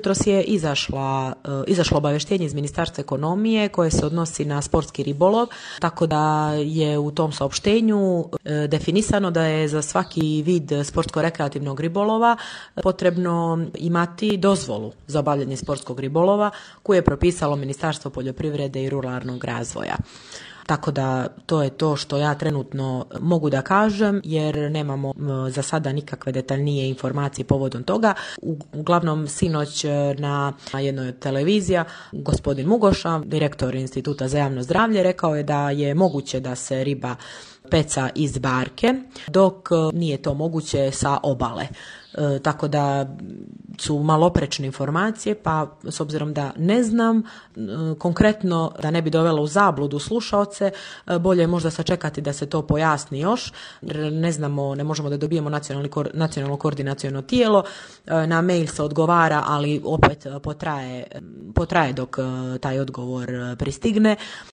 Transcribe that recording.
jutros je izašlo obavještenje iz Ministarstva ekonomije koje se odnosi na sportski ribolov, tako da je u tom saopštenju definisano da je za svaki vid sportsko-rekreativnog ribolova potrebno imati dozvolu za obavljanje sportskog ribolova koju je propisalo Ministarstvo poljoprivrede i ruralnog razvoja. Tako da to je to što ja trenutno mogu da kažem, jer nemamo za sada nikakve detaljnije informacije povodom toga. Uglavnom, sinoć na jednoj od televizija gospodin Mugoša, direktor Instituta za javno zdravlje, rekao je da je moguće da se riba peca iz barke, dok nije to moguće sa obale. Tako da su maloprečne informacije, pa s obzirom da ne znam konkretno, da ne bi dovela u zabludu slušaoce, bolje je možda sačekati da se to pojasni još, jer ne znamo, ne možemo da dobijemo nacionalno koordinaciono tijelo, na mail se odgovara, ali opet potraje dok taj odgovor pristigne.